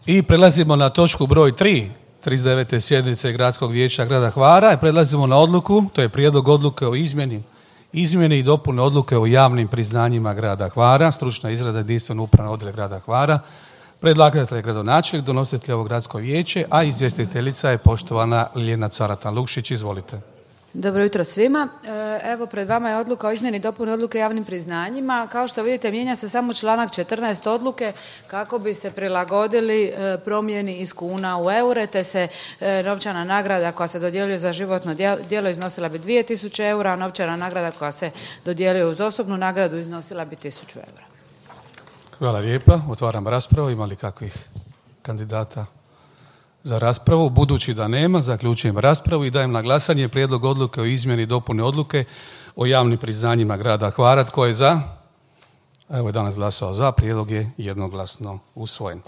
I prelazimo na točku broj 3, 39. sjednice Gradskog vijeća grada Hvara. Prelazimo na odluku, to je prijedlog odluke o izmjeni i dopune odluke o javnim priznanjima grada Hvara, stručna izrada jedinstveno upravno odjel grada Hvara. Predlagatelj je gradonačelnik, donositelj ovo gradsko vijeće, a izvjestiteljica je poštovana Ljiljana Caratan-Lukšić. Izvolite. Dobro jutro svima. Evo, pred vama je odluka o izmjeni i dopuni odluke o javnim priznanjima. Kao što vidite, mijenja se samo članak 14 odluke kako bi se prilagodili promjeni iz kuna u eure, te se novčana nagrada koja se dodjeljuje za životno djelo iznosila bi 2000 eura, a novčana nagrada koja se dodjeljuje uz osobnu nagradu iznosila bi 1000 eura. Hvala lijepa. Otvaram raspravu. Ima li kakvih kandidata za raspravu? Budući da nema, zaključujem raspravu i dajem na glasanje prijedlog odluke o izmjeni i dopuni odluke o javnim priznanjima grada Hvara. Tko je za? Evo je danas glasao za. Prijedlog je jednoglasno usvojen.